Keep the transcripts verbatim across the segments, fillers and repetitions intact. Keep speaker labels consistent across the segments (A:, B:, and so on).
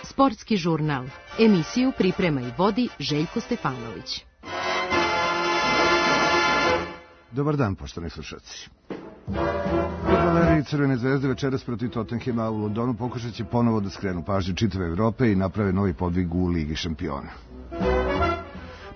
A: Sportski žurnal. Emisiju priprema i vodi Željko Stefanović.
B: Dobar dan, poštovani slušalci. Fudbaleri Crvene zvezde večeras protiv Tottenhema u Londonu pokušat će ponovo da skrenu pažnju čitave Evrope i naprave novi podvig u Ligi šampiona.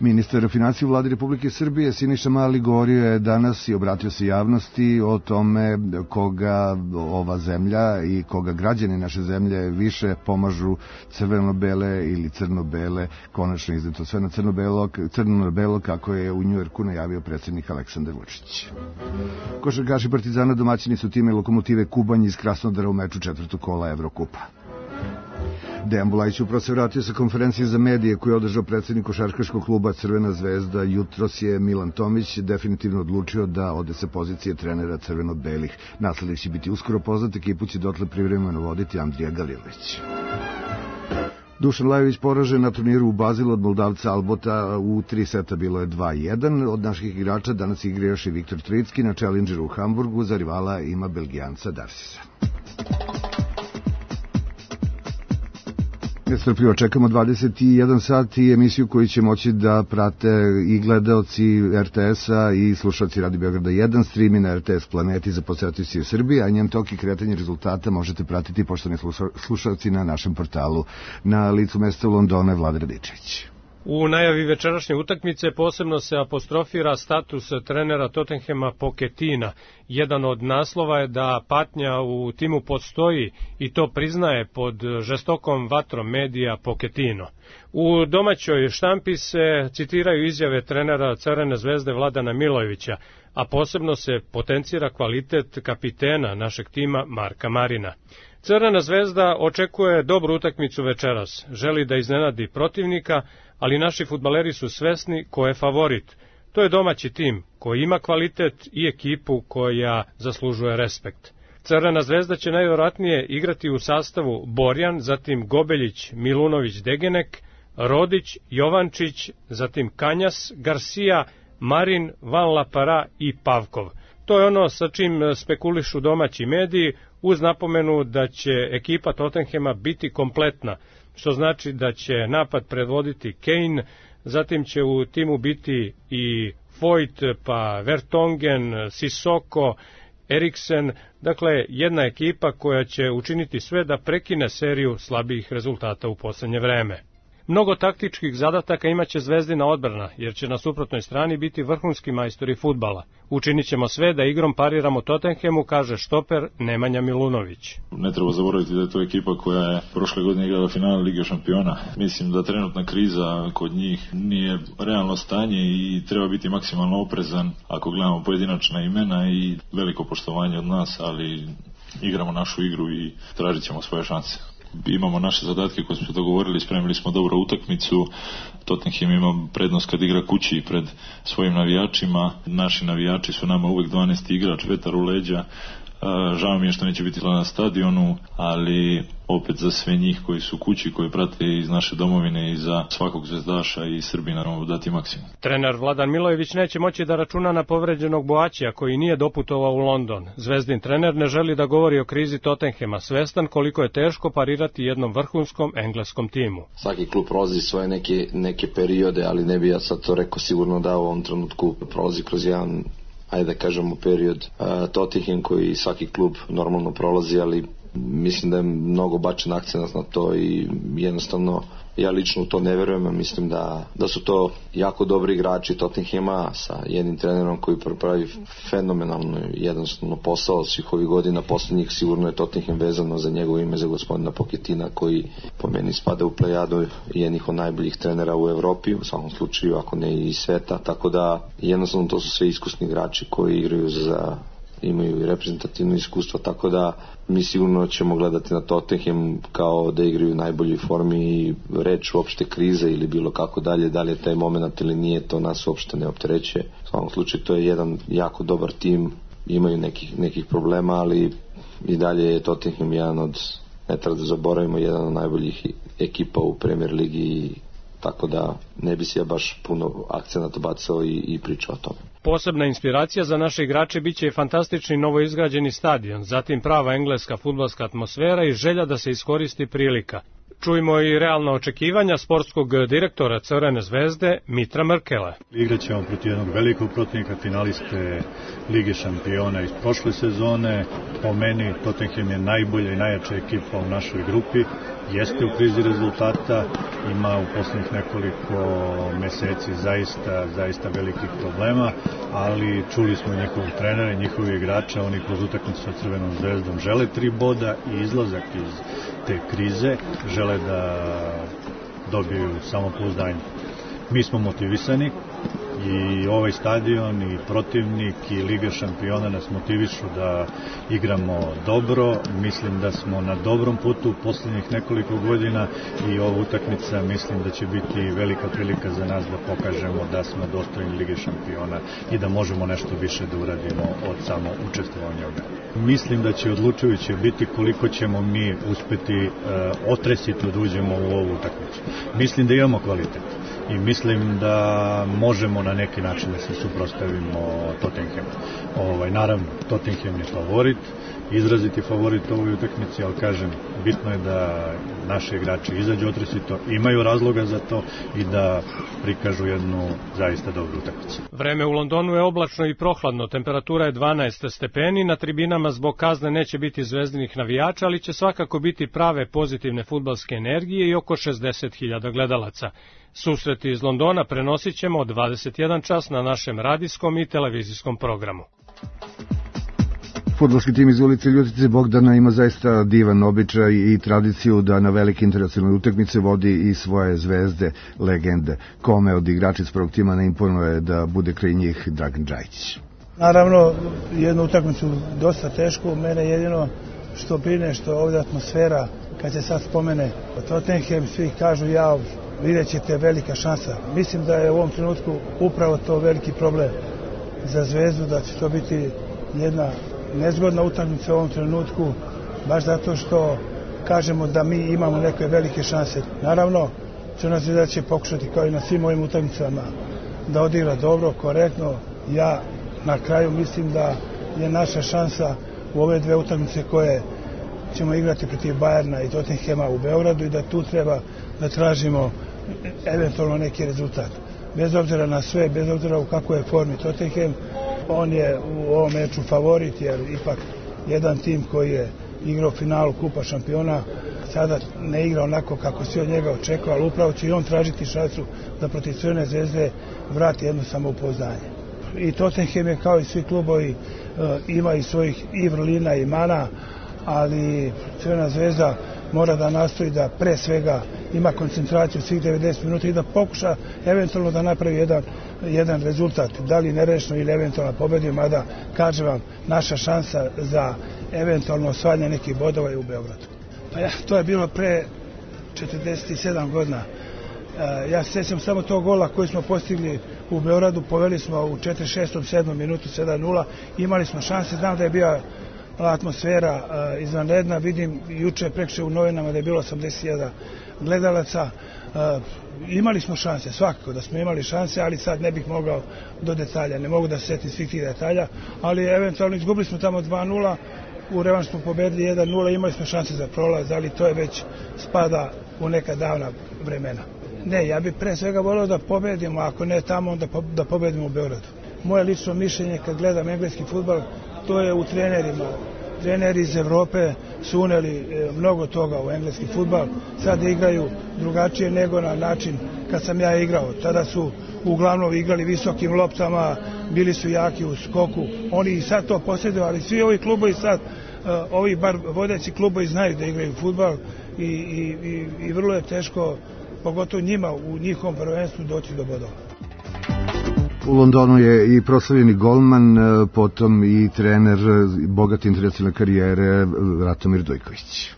B: Ministar finansija u vladi Republike Srbije Siniša Mali govorio je danas i obratio se javnosti o tome koga ova zemlja i koga građani naše zemlje više pomažu crveno-bele ili crno-bele, konačno izdeto sve na crno-belo, crno-belo kako je u Njujorku najavio predsjednik Aleksandar Vučić. Košarkaši Partizana domaćini su time Lokomotive Kubanj iz Krasnodara u meču četvrtog kola Evrokupa. Dejan Bulajić upravo se vratio sa konferencije za medije koju je održao predsjednik košarkaškog kluba Crvena zvezda. Jutros je Milan Tomić definitivno odlučio da ode sa pozicije trenera crveno-belih. Naslednik će biti uskoro poznat, ekipu će dotle privremeno voditi Andrija Galilović. Dušan Lajović poražen na turniru u Bazilu od Moldavca Albota u tri seta, bilo je dva jedan. Od naših igrača danas igra još i Viktor Tricki na Challengeru u Hamburgu, za rivala ima Belgijanca Darsisa. Nestrpljivo čekamo dvadeset jedan sat i emisiju koju će moći da prate i gledaoci R T S-a i slušalci Radio Beograda jedan, streami na R T S Planeti za posetioci u Srbiji, a njen tok i kretanje rezultata možete pratiti, poštovani slušalci, na našem portalu. Na licu mesta u Londonu je Vlada Radičević.
C: U najavi večerašnje utakmice posebno se apostrofira status trenera Tottenhema Pochettina. Jedan od naslova je da patnja u timu postoji i to priznaje pod žestokom vatrom medija Pochettino. U domaćoj štampi se citiraju izjave trenera Crvene zvezde Vladana Milojevića, a posebno se potencira kvalitet kapitena našeg tima Marka Marina. Crvena zvezda očekuje dobru utakmicu večeras, želi da iznenadi protivnika, ali naši fudbaleri su svesni ko je favorit. To je domaći tim koji ima kvalitet i ekipu koja zaslužuje respekt. Crvena zvezda će najvjerojatnije igrati u sastavu Borjan, zatim Gobeljić, Milunović, Degenek, Rodić, Jovančić, zatim Kanjas, Garcia, Marin, Van Lapara i Pavkov. To je ono sa čim spekulišu domaći mediji, uz napomenu da će ekipa Tottenhema biti kompletna, što znači da će napad predvoditi Kane, zatim će u timu biti i Foyt, pa Vertonghen, Sissoko, Eriksen, dakle jedna ekipa koja će učiniti sve da prekine seriju slabijih rezultata u posljednje vreme. Mnogo taktičkih zadataka imaće Zvezdina odbrana, jer će na suprotnoj strani biti vrhunski majstori fudbala. Učinit ćemo sve da igrom pariramo Tottenhemu, kaže štoper Nemanja Milunović.
D: Ne treba zaboraviti da je to ekipa koja je prošle godine igrala finale Lige šampiona. Mislim da trenutna kriza kod njih nije realno stanje i treba biti maksimalno oprezan ako gledamo pojedinačna imena i veliko poštovanje od nas, ali igramo našu igru i tražit ćemo svoje šanse. Imamo naše zadatke koje smo dogovorili, spremili smo dobru utakmicu. Tottenham ima prednost kad igra kući pred svojim navijačima. Naši navijači su nama uvek dvanaesti igrač, vetar u leđa. Žao mi je što neće biti na stadionu, ali opet za sve njih koji su kući, koji prate iz naše domovine i za svakog zvezdaša i Srbina moramo dati maksimum.
C: Trener Vladan Milojević neće moći da računa na povređenog Boaćija koji nije doputovao u London. Zvezdin trener ne želi da govori o krizi Tottenhema, svestan koliko je teško parirati jednom vrhunskom engleskom timu.
E: Svaki klub prolazi svoje neke, neke periode, ali ne bi ja sad to rekao sigurno da u ovom trenutku prolazi kroz jedan, ajde da kažemo, period uh, Tottenham koji svaki klub normalno prolazi, ali mislim da je mnogo bačen akcenat na to i jednostavno ja lično u to ne verujem. Mislim da, da su to jako dobri igrači Tottenhama sa jednim trenerom koji pravi fenomenalno jednostavno posao svih ovih godina posljednjih. Sigurno je Tottenham vezano za njegovo ime, za gospodina Pochettina, koji po meni spada u plejadu jednih od najboljih trenera u Evropi, u svakom slučaju ako ne i sveta, tako da jednostavno to su sve iskusni igrači koji igraju za, imaju i reprezentativno iskustvo, tako da mi sigurno ćemo gledati na Tottenham kao da igraju u najboljoj formi i reč uopšte krize ili bilo kako dalje, da li je taj moment ili nije, to nas uopšte ne opterećuje. U svakom slučaju to je jedan jako dobar tim, imaju nekih, nekih problema, ali i dalje je Tottenham jedan od, ne treba da zaboravimo, jedan od najboljih ekipa u Premier Ligi i tako da ne bi se ja baš puno akcenata bacao i, i pričao o tome.
C: Posebna inspiracija za naše igrače biće i fantastični novoizgrađeni stadion, zatim prava engleska fudbalska atmosfera i želja da se iskoristi prilika. Čujmo i realna očekivanja sportskog direktora Crvene zvezde Mitra Mrkela.
F: Igraćemo protiv jednog velikog protivnika, finaliste Lige šampiona iz prošle sezone. Po meni Tottenham je najbolja i najjača ekipa u našoj grupi. Jeste u krizi rezultata, ima u poslednjih nekoliko meseci zaista, zaista velikih problema, ali čuli smo njihovog trenera i njihovi igrača, oni kroz utakmicu sa Crvenom zvezdom žele tri boda i izlazak iz te krize, žele da dobiju samopouzdanje. Mi smo motivisani i ovaj stadion i protivnik i Liga šampiona nas motivišu da igramo dobro. Mislim da smo na dobrom putu u poslednjih nekoliko godina i ova utakmica mislim da će biti velika prilika za nas da pokažemo da smo dostojni Lige šampiona i da možemo nešto više da uradimo od samo učestvovanja u njoj. Mislim da će odlučujuće biti koliko ćemo mi uspeti uh, otresiti da uđemo u ovu utakmicu. Mislim da imamo kvalitet i mislim da možemo na neki način da se suprotstavimo Tottenhamu. Ovaj, naravno, Tottenham je favorit, izraziti favorit u ovoj utakmici, ali kažem, bitno je da naši igrači izađu otresito, imaju razloga za to i da prikažu jednu zaista dobru utakmicu.
C: Vreme u Londonu je oblačno i prohladno, temperatura je dvanaest stepeni, na tribinama zbog kazne neće biti zvezdinih navijača, ali će svakako biti prave pozitivne fudbalske energije i oko šezdeset hiljada gledalaca. Susreti iz Londona prenosit ćemo od dvadeset jedan čas na našem radijskom i televizijskom programu.
B: Fudbalski tim iz ulice Ljutice Bogdana ima zaista divan običaj i tradiciju da na velike internacionalne utakmice vodi i svoje zvezde, legende. Kome od igrača iz prvog tima ne imponuje da bude kraj njih Dragan Džajić?
G: Naravno, jednu utakmicu dosta teško, mene jedino što brine što ovdje atmosfera, kad se sad spomene Tottenham, svi kažu ja, vidjet ćete velika šansa. Mislim da je u ovom trenutku upravo to veliki problem za zvezdu, da će to biti jedna nezgodna utakmica u ovom trenutku, baš zato što kažemo da mi imamo neke velike šanse. Naravno, Crvena zvezda će pokušati kao i na svim ovim utakmicama da odigra dobro, korektno. Ja na kraju mislim da je naša šansa u ove dve utakmice koje ćemo igrati protiv Bajerna i Tottenhema u Beogradu i da tu treba da tražimo eventualno neki rezultat. Bez obzira na sve, bez obzira u kakvoj je formi Tottenham, on je u ovom meču favorit, jer ipak jedan tim koji je igrao finalu Kupa šampiona sada ne igra onako kako se od njega očekuje, ali upravo će i on tražiti šansu da protiv Crvene zvezde vrati jedno samopouzdanje. I Tottenham je kao i svi klubovi ima i svojih i vrlina i mana, ali Crvena zvezda mora da nastoji da pre svega ima koncentraciju svih devedeset minuta i da pokuša eventualno da napravi jedan, jedan rezultat, da li nerešno ili eventualno pobedi, mada kažem vam, naša šansa za eventualno osvajanje nekih bodova je u Beogradu. Pa ja, to je bilo pre četrdeset sedam godina. Ja se sjećam samo tog gola koji smo postigli u Beogradu, poveli smo u četrdeset šestom sedmom minutu sedam nula, imali smo šanse, znam da je bila atmosfera uh, izvanredna, vidim juče prekše u novinama da je bilo osamdeset hiljada gledalaca, uh, imali smo šanse, svakako da smo imali šanse, ali sad ne bih mogao do detalja, ne mogu da se setim svih tih detalja, ali eventualno izgubili smo tamo dva nula, u revanš smo pobedili jedan nula, imali smo šanse za prolaz, ali to je već spada u neka davna vremena. Ne, ja bih pre svega volio da pobedimo, ako ne tamo, onda po, da pobedimo u Beogradu. Moje lično mišljenje kad gledam engleski fudbal, to je u trenerima. Treneri iz Evrope su uneli mnogo toga u engleski fudbal. Sad igraju drugačije nego na način kad sam ja igrao. Tada su uglavnom igrali visokim loptama, bili su jaki u skoku. Oni i sad to posjeduju, ali svi ovi klubovi sad, ovi bar vodeći klubovi znaju da igraju fudbal i, i, i, i vrlo je teško, pogotovo njima u njihovom prvenstvu doći do bodova.
B: U Londonu je i proslavljeni golman, potom i trener bogate internacionalne karijere Ratomir Dojković.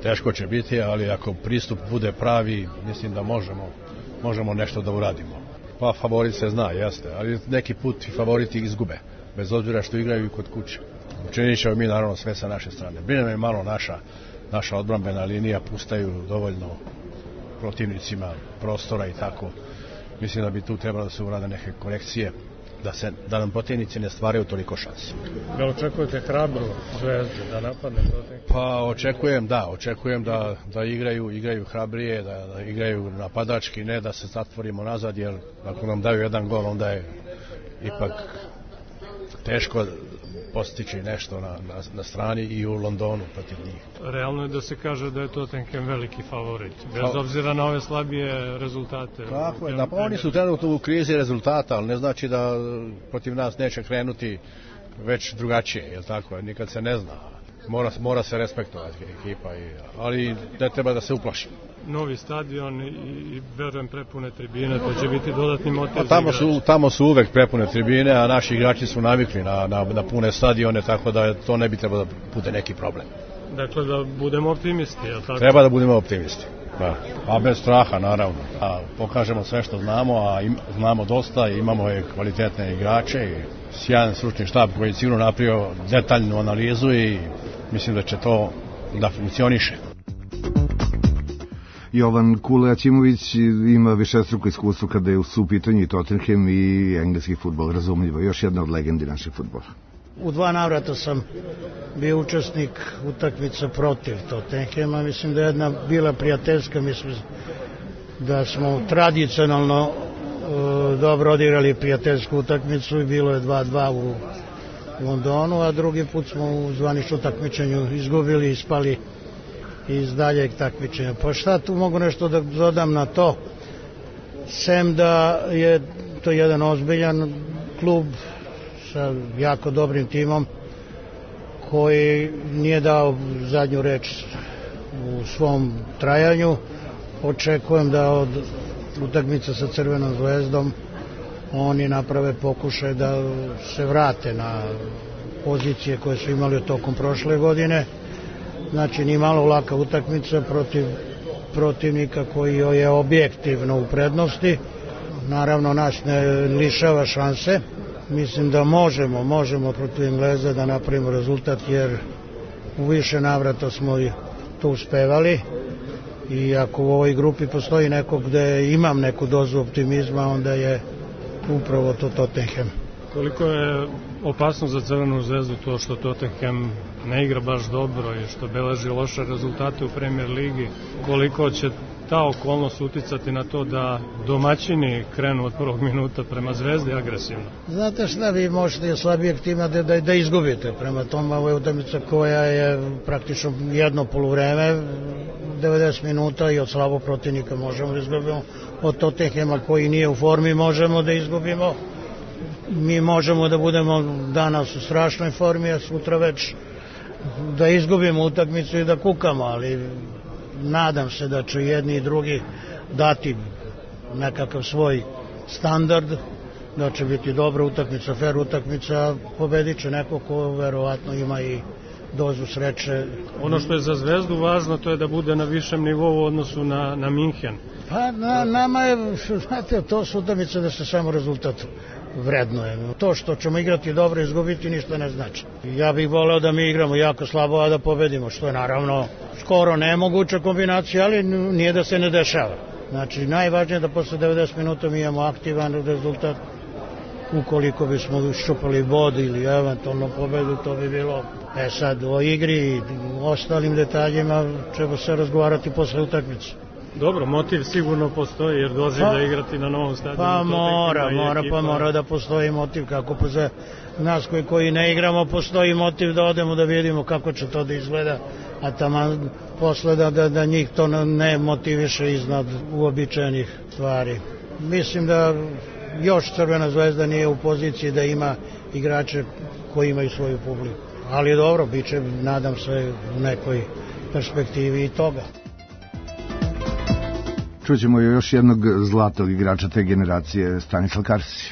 H: Teško će biti, ali ako pristup bude pravi, mislim da možemo, možemo nešto da uradimo. Pa favorit se zna, jeste, ali neki put i favoriti izgube, bez obzira što igraju i kod kuće. Učinit ćemo mi naravno sve sa naše strane. Brine me malo naša, naša odbrambena linija, pustaju dovoljno protivnicima prostora i tako. Mislim da bi tu trebalo da se urade neke korekcije, da, se, da nam protivnici ne stvaraju toliko šansi.
C: Da očekujete hrabru Zvezdu da napadne Tottenham?
H: Pa očekujem, da, očekujem da, da igraju, igraju hrabrije, da, da igraju napadački, ne da se zatvorimo nazad, jer ako nam daju jedan gol, onda je ipak teško postići nešto na, na, na strani i u Londonu protiv njih.
C: Realno je da se kaže da je Tottenham veliki favorit, bez obzira na ove slabije rezultate.
H: Tako je, da, pa oni su trenutno u krizi rezultata, ali ne znači da protiv nas neće krenuti već drugačije, je li tako? Nikad se ne zna. Mora, mora se respektovati ekipa, i, ali ne treba da se uplaši.
C: Novi stadion i, i verujem prepune tribine, to će biti dodatni motiv.
H: A tamo su, tamo su uvek prepune tribine, a naši igrači su navikli na, na, na pune stadione, tako da to ne bi trebalo da bude neki problem.
C: Dakle, da budemo optimisti, je li tako?
H: Treba da budemo optimisti, da. A bez straha, naravno. A pokažemo sve što znamo, a im, znamo dosta, imamo je kvalitetne igrače i sjajan stručni štab koji je sigurno napravio detaljnu analizu i mislim da će to da funkcioniše.
B: Jovan Kule Aćimović ima višestruko iskustvo kada je u su pitanju i Tottenham i engleski fudbal, razumljivo. Još jedna od legendi našeg fudbala.
I: U dva navrata sam bio učesnik utakmice protiv Tottenhama. Mislim da je jedna bila prijateljska, mislim da smo tradicionalno e, dobro odigrali prijateljsku utakmicu i bilo je dva dva u Londonu, a drugi put smo u zvaničnom takmičenju izgubili i ispali iz daljeg takmičenja. Pa šta tu mogu nešto da dodam na to, sem da je to jedan ozbiljan klub sa jako dobrim timom koji nije dao zadnju reč u svom trajanju. Očekujem da od utakmice sa Crvenom zvezdom oni naprave pokušaj da se vrate na pozicije koje su imali tokom prošle godine. Znači, ni malo laka utakmica protiv protivnika koji je objektivno u prednosti. Naravno, nas ne lišava šanse. Mislim da možemo, možemo protiv Engleza da napravimo rezultat, jer u više navrata smo to uspevali. I ako u ovoj grupi postoji neko gde imam neku dozu optimizma, onda je upravo to Tottenham.
C: Koliko je opasno za Crvenu zvezdu to što Tottenham ne igra baš dobro i što beleži loše rezultate u Premier ligi? Koliko će ta okolnost uticati na to da domaćini krenu od prvog minuta prema Zvezdi agresivno?
I: Znate šta, vi možete slabijeg tima da, da, da izgubite. Prema tome, ovo je utakmica koja je praktično jedno poluvreme, devedeset minuta, i od slabog protivnika možemo da izgubimo. Od Tottenhama koji nije u formi možemo da izgubimo. Mi možemo da budemo danas u strašnoj formi, a sutra već da izgubimo utakmicu i da kukamo, ali nadam se da će jedni i drugi dati nekakav svoj standard, da će biti dobra utakmica, fair utakmica, pobedit će neko ko verovatno ima i dozu sreće.
C: Ono što je za Zvezdu važno, to je da bude na višem nivou u odnosu na, na Minhen.
I: Pa na, nama je, znate, to su utakmice da se samo rezultat vrednuje. To što ćemo igrati dobro i izgubiti ništa ne znači. Ja bih voleo da mi igramo jako slabo, a da pobedimo, što je naravno skoro nemoguća kombinacija, ali nije da se ne dešava. Znači, najvažnije je da posle devedeset minuta mi imamo aktivan rezultat. Ukoliko bismo šupali bod ili eventualno pobedu, to bi bilo. E sad, o igri i ostalim detaljima ćemo se razgovarati posle utakmice.
C: Dobro, motiv sigurno postoji, jer dolazi pa, da igrati na novom stadionu.
I: Pa mora, mora, pa mora da postoji motiv, kako pa za nas koji, koji ne igramo postoji motiv da odemo da vidimo kako će to da izgleda, a tamo posle da, da, da njih to ne motiviše iznad uobičajenih stvari. Mislim da još Crvena zvezda nije u poziciji da ima igrače koji imaju svoju publiku. Ali dobro, bit će, nadam se, u nekoj perspektivi i toga.
B: Čućemo još jednog zlatog igrača te generacije, Stanislav Karsić.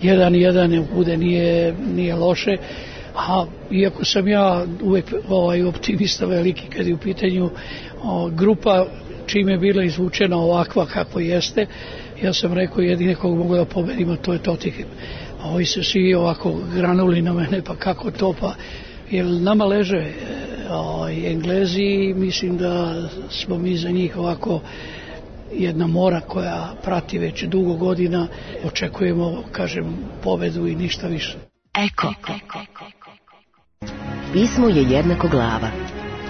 J: Jedan i jedan bude nije, nije loše, a iako sam ja uvek ovaj, optimista veliki kad je u pitanju o, grupa čim je bila izvučena ovakva kako jeste, ja sam rekao jedine kog mogu da pobedimo, to je Tottenham. A ovi se svi ovako granuli na mene, pa kako to, pa jer nama leže o, Englezi, mislim da smo mi za njih ovako jedna mora koja prati već dugo godina. Očekujemo, kažem, pobedu i ništa više.
A: Eko. Pismo je jednako glava.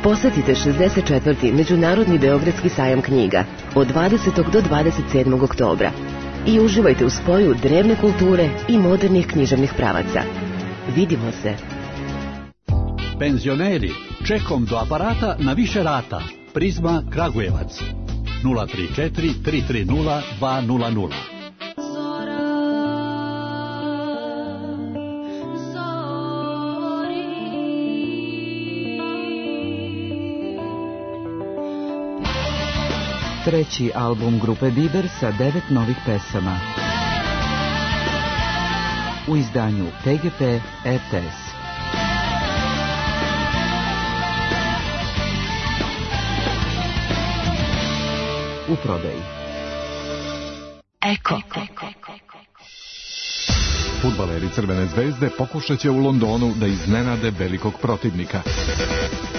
A: Posjetite šezdeset četvrti Međunarodni beogradski sajam knjiga od dvadesetog do dvadeset sedmog oktobra i uživajte u spoju drevne kulture i modernih književnih pravaca. Vidimo se.
K: Penzioneri, čekom do aparata na više rata. Prizma Kragujevac. nula tri četiri tri tri nula dva nula nula.
L: Treći album grupe Biber sa devet novih pesama. U izdanju T G P R T S. U prodaji.
A: Eko.
M: Fudbaleri Crvene zvezde pokušat će u Londonu da iznenade velikog protivnika.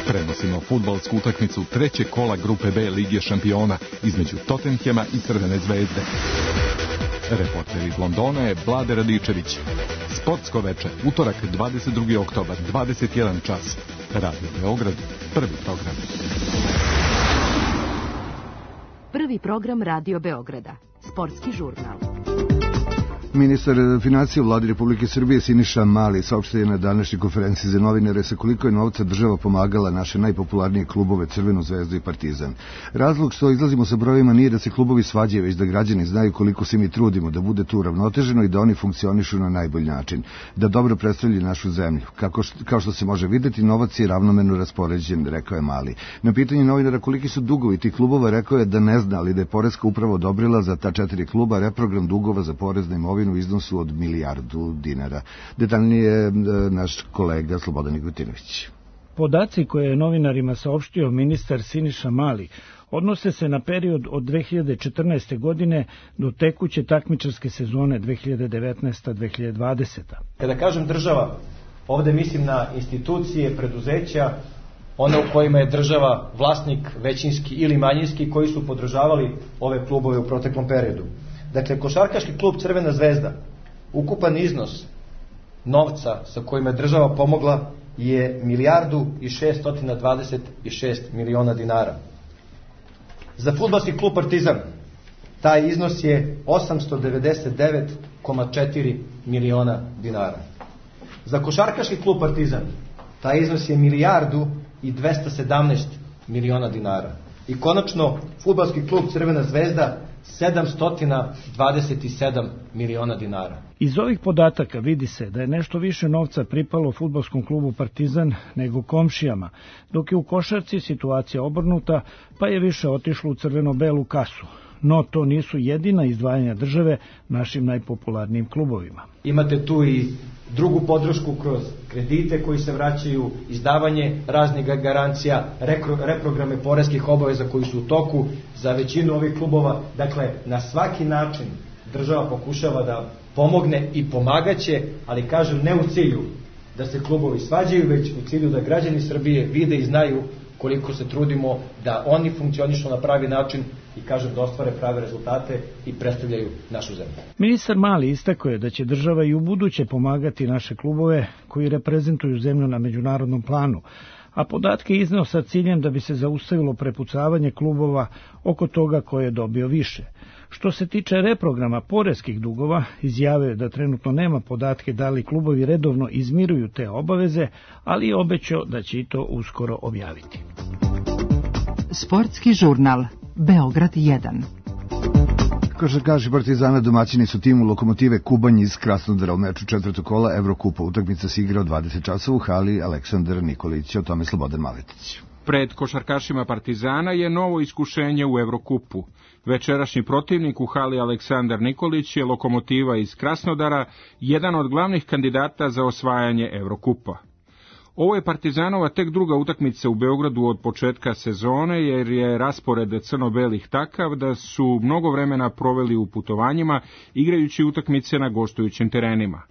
M: Prenosimo fudbalsku utakmicu trećeg kola grupe B Lige šampiona između Tottenhema i Crvene zvezde. Reporter iz Londona je Vlade Radičević. Sportsko veče, utorak dvadeset drugi oktobar, dvadeset jedan čas. Radio Beograd, prvi program.
A: Prvi program Radio Beograda. Sportski žurnal.
B: Ministar financija u Vladi Republike Srbije Siniša Mali saopštio je na današnjoj konferenciji za novinare sa koliko je novca država pomagala naše najpopularnije klubove Crvenu zvezdu i Partizan. Razlog što izlazimo sa brojevima nije da se klubovi svađaju, već da građani znaju koliko se mi trudimo da bude tu ravnoteženo i da oni funkcionišu na najbolji način, da dobro predstavljaju našu zemlju. Kako što, kao što se može videti, novac je ravnomerno raspoređen, rekao je Mali. Na pitanje novinara koliki su dugovi tih klubova, rekao je da ne zna, ali da je poreska uprava odobrila za ta četiri kluba reprogram dugova za porez na imovinu u iznosu od milijardu dinara. Detaljnije naš kolega Slobodan Nigutinović.
N: Podaci koje je novinarima saopštio ministar Siniša Mali odnose se na period od dve hiljade četrnaeste. godine do tekuće takmičarske sezone dve hiljade devetnaesta do dve hiljade dvadesete.
O: Kada kažem država, ovde mislim na institucije, preduzeća, one u kojima je država vlasnik većinski ili manjinski, koji su podržavali ove klubove u proteklom periodu. Dakle, košarkaški klub Crvena zvezda, ukupan iznos novca sa kojima je država pomogla je milijardu i šeststo dvadeset šest miliona dinara. Za fudbalski klub Partizan taj iznos je osamsto devedeset devet zarez četiri miliona dinara. Za košarkaški klub Partizan taj iznos je milijardu i dvesta sedamnaest miliona dinara. I konačno, fudbalski klub Crvena zvezda sedamsto dvadeset sedam miliona dinara.
N: Iz ovih podataka vidi se da je nešto više novca pripalo fudbalskom klubu Partizan nego komšijama, dok je u košarci situacija obrnuta, pa je više otišlo u crveno-belu kasu. No to nisu jedina izdvajanja države našim najpopularnijim klubovima.
O: Imate tu i drugu podršku kroz kredite koji se vraćaju, izdavanje raznih garancija, reprograme poreskih obaveza koji su u toku za većinu ovih klubova. Dakle, na svaki način država pokušava da pomogne i pomagaće, ali kažem ne u cilju da se klubovi svađaju, već u cilju da građani Srbije vide i znaju koliko se trudimo da oni funkcionišu na pravi način i kažem da ostvare prave rezultate i predstavljaju našu zemlju.
N: Ministar Mali istakao je da će država i u buduće pomagati naše klubove koji reprezentuju zemlju na međunarodnom planu, a podatke izneo sa ciljem da bi se zaustavilo prepucavanje klubova oko toga ko je dobio više. Što se tiče reprograma poreskih dugova, izjavio je da trenutno nema podatke da li klubovi redovno izmiruju te obaveze, ali je obećao da će i to uskoro objaviti.
L: Sportski žurnal Beograd jedan.
B: Košarkaši Partizana domaćini su timu Lokomotive Kubanj iz Krasnodara u meču četvrtog kola Evrokupa. Utakmica se igra od dvadeset časova u hali Aleksandar Nikolić, o tome Slobodan Maletić.
P: Pred košarkašima Partizana je novo iskušenje u Evrokupu. Večerašnji protivnik u hali Aleksandar Nikolić je Lokomotiva iz Krasnodara, jedan od glavnih kandidata za osvajanje Evrokupa. Ovo je Partizanova tek druga utakmica u Beogradu od početka sezone, jer je raspored crno-belih takav da su mnogo vremena proveli u putovanjima, igrajući utakmice na gostujućim terenima.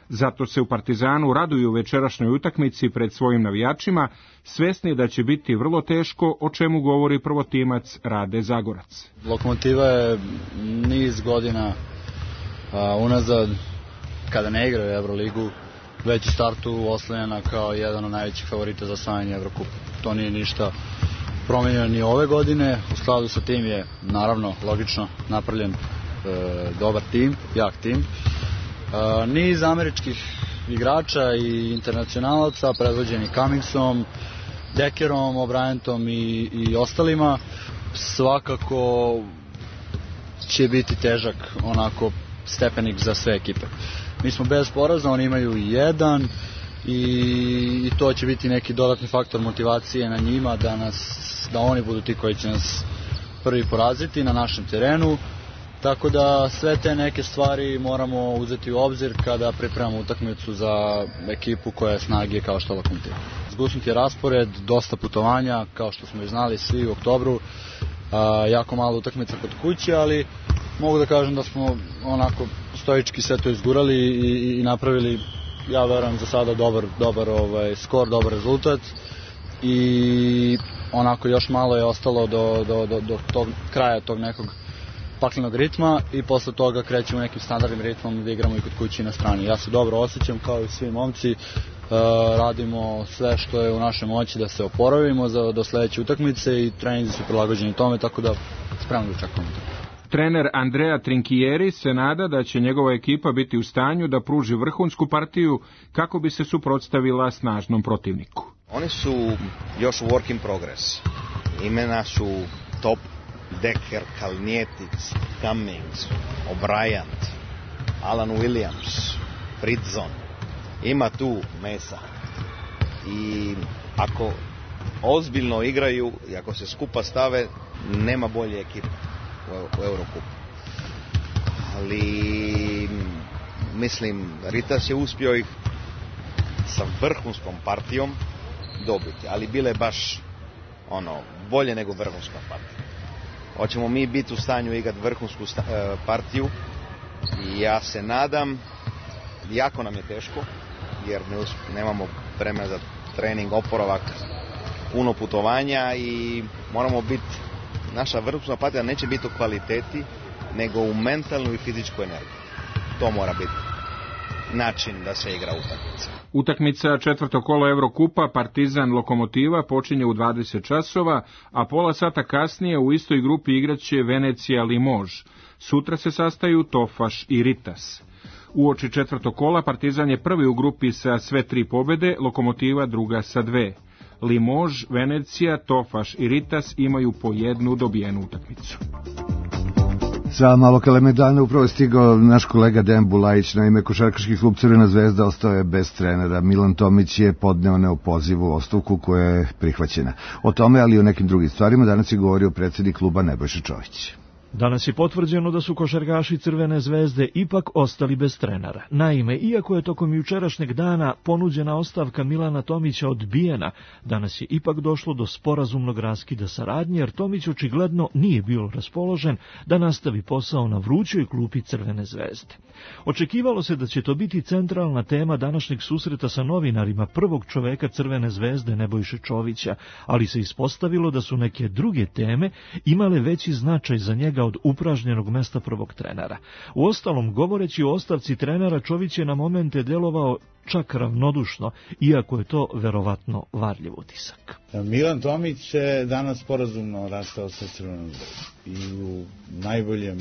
P: Zato se u Partizanu raduju večerašnjoj utakmici pred svojim navijačima, svesni da će biti vrlo teško, o čemu govori prvotimac Rade Zagorac.
Q: Lokomotiva je niz godina a, unazad, kada ne igra u Euroligu, već u startu oslanjena kao jedan od najvećih favorita za osvajanje Evrokupa. To nije ništa promenjeno ni ove godine. U skladu sa tim je, naravno, logično napravljen e, dobar tim, jak tim. E, niz američkih igrača i internacionalaca, predvođeni Cummingsom, Deckerom, O'Brientom i, i ostalima, svakako će biti težak onako stepenik za sve ekipe. Mi smo bez poraza, oni imaju jedan i, i to će biti neki dodatni faktor motivacije na njima da, nas, da oni budu ti koji će nas prvi poraziti na našem terenu. Tako da sve te neke stvari moramo uzeti u obzir kada pripremamo utakmicu za ekipu koja je snage kao što Lokomotiva. Zgusnut je raspored, dosta putovanja, kao što smo i znali svi u oktobru, a, jako malo utakmica kod kuće, ali mogu da kažem da smo onako stoički sve to izgurali i, i napravili, ja verujem, za sada dobar, dobar ovaj, skor, dobar rezultat i onako još malo je ostalo do, do, do, do tog kraja tog nekog paklenog ritma i posle toga krećemo nekim standardnim ritmom da igramo i kod kući na strani. Ja se dobro osjećam kao i svi momci, e, radimo sve što je u našoj moći da se oporavimo za, do sledeće utakmice i treninzi su prilagođeni tome, tako da spremno da čekamo.
P: Trener Andrea Trinchieri se nada da će njegova ekipa biti u stanju da pruži vrhunsku partiju kako bi se suprotstavila snažnom protivniku.
R: Oni su još u work in progress. Imena su top: Decker, Kalnietic, Cummings, O'Brien, Alan Williams, Fritzon. Ima tu mesa. I ako ozbiljno igraju i ako se skupa stave, nema bolje ekipe u Eurokupu. Ali mislim, Ritas je uspio ih sa vrhunskom partijom dobiti, ali bile baš ono bolje nego vrhunska partija. Hoćemo mi biti u stanju igrati vrhunsku partiju i ja se nadam, jako nam je teško jer ne, nemamo vremena za trening, oporavak, puno putovanja i moramo biti, naša vrhunska partija neće biti u kvaliteti nego u mentalnu i fizičku energiju. To mora biti način da se igra utakmica.
P: Utakmica četvrto kolo Evrokupa Partizan Lokomotiva počinje u dvadeset časova, a pola sata kasnije u istoj grupi igraće Venecija Limož. Sutra se sastaju Tofaš i Ritas. Uoči četvrtog kola Partizan je prvi u grupi sa sve tri pobede, Lokomotiva druga sa dve. Limož, Venecija, Tofaš i Ritas imaju po jednu dobijenu utakmicu.
B: Sa malo Kalemegdana upravo je stigao naš kolega Dejan Bulajić. Naime, košarkaški klub Crvena zvezda ostao je bez trenera. Milan Tomić je podneo neopozivu ostavku koja je prihvaćena. O tome, ali i o nekim drugim stvarima, danas je govorio predsjednik kluba Nebojša Čović.
S: Danas je potvrđeno da su košarkaši Crvene zvezde ipak ostali bez trenera. Naime, iako je tokom jučerašnjeg dana ponuđena ostavka Milana Tomića odbijena, danas je ipak došlo do sporazumnog raskida saradnje, jer Tomić očigledno nije bio raspoložen da nastavi posao na vrućoj klupi Crvene zvezde. Očekivalo se da će to biti centralna tema današnjeg susreta sa novinarima prvog čoveka Crvene zvezde Nebojše Čovića, ali se ispostavilo da su neke druge teme imale veći značaj za njega od upražnjenog mesta prvog trenera. Uostalom, govoreći o ostavci trenera, Čović je na momente delovao čak ravnodušno, iako je to verovatno varljiv utisak.
T: Milan Tomić je danas sporazumno rastao sa Crvenom zvezdom i u najboljem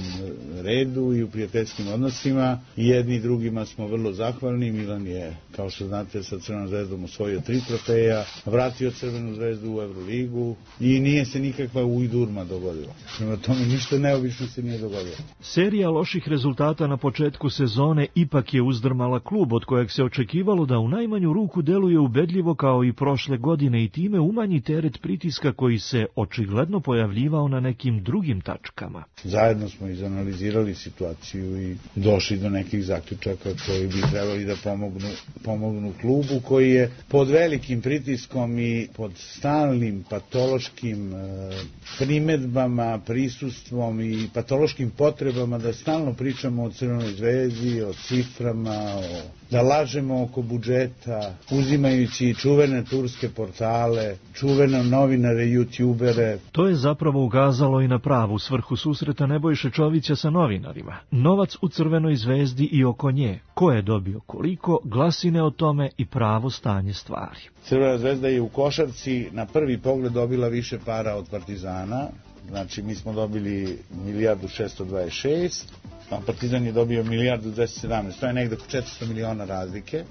T: redu i u prijateljskim odnosima i jedni i drugima smo vrlo zahvalni. Milan je, kao što znate, sa Crvenom zvezdom osvojio tri trofeja, vratio Crvenu zvezdu u Euroligu i nije se nikakva ujdurma dogodila. Prema tome ništa neobično se nije dogodilo.
S: Serija loših rezultata na početku sezone ipak je uzdrmala klub od kojeg se očekivalo očekivalo da u najmanju ruku deluje ubedljivo kao i prošle godine i time umanji teret pritiska koji se očigledno pojavljivao na nekim drugim tačkama.
T: Zajedno smo izanalizirali situaciju i došli do nekih zaključaka koji bi trebali da pomognu, pomognu klubu koji je pod velikim pritiskom i pod stalnim patološkim e, primedbama, prisustvom i patološkim potrebama da stalno pričamo o Crvenoj zvezdi, o ciframa, o, da lažemo oko budžeta, uzimajući čuvene turske portale, čuvene novinare, youtubere.
S: To je zapravo ukazalo i na pravu svrhu susreta Nebojše Čovića sa novinarima. Novac u Crvenoj zvezdi i oko nje, ko je dobio koliko, glasine o tome i pravo stanje stvari.
T: Crvena zvezda je u košarci na prvi pogled dobila više para od Partizana, znači mi smo dobili milijardu šesto dvadeset šest, a Partizan je dobio milijardu dvesta sedamnaest, to je negde oko četiristo miliona razlike.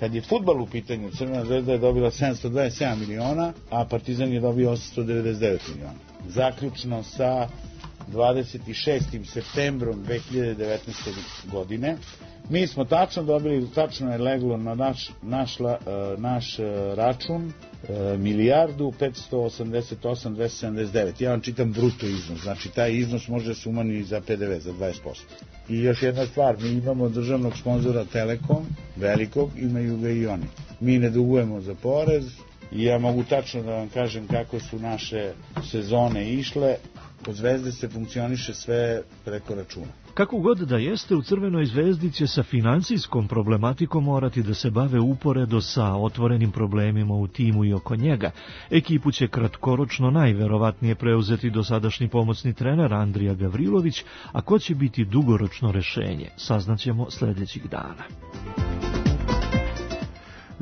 T: Kad je fudbal u pitanju, Crvena zvezda je dobila sedamsto dvadeset sedam miliona, a Partizan je dobio osamsto devedeset devet miliona. Zaključno sa dvadeset šestim septembrom dve hiljade devetnaeste. godine mi smo tačno dobili, tačno je leglo na naš, naš, naš račun milijardu petsto osamdeset osam dvesta sedamdeset devet. Ja vam čitam bruto iznos, znači taj iznos može se umanjiti za pe de ve za dvadeset posto. I još jedna stvar, mi imamo državnog sponzora Telekom, velikog, imaju ga i oni. Mi ne dugujemo za porez i ja mogu tačno da vam kažem kako su naše sezone išle. Kod Zvezde se funkcioniše sve preko računa.
S: Kako god da jeste, u Crvenoj zvezdi će sa financijskom problematikom morati da se bave uporedo sa otvorenim problemima u timu i oko njega. Ekipu će kratkoročno najverovatnije preuzeti dosadašnji pomoćni trener Andrija Gavrilović, a ko će biti dugoročno rešenje, saznaćemo sledećih dana.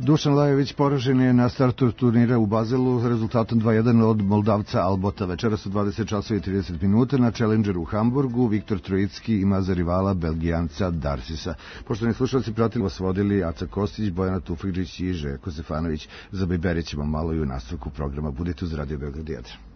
B: Dušan Lajović poražen je na startu turnira u Bazelu rezultatom dva jedan od Moldavca Albota. Večeras u dvadeset časova i trideset minuta na Challengeru u Hamburgu Viktor Trojicki ima za rivala Belgijanca Darsisa. Poštovani slušalci, pratili vas vodili Aca Kostić, Bojana Tufegđić i Željko Stefanović. Za Bajberi ćemo malo i u nastavku programa. Budite uz Radio Beograd jedan.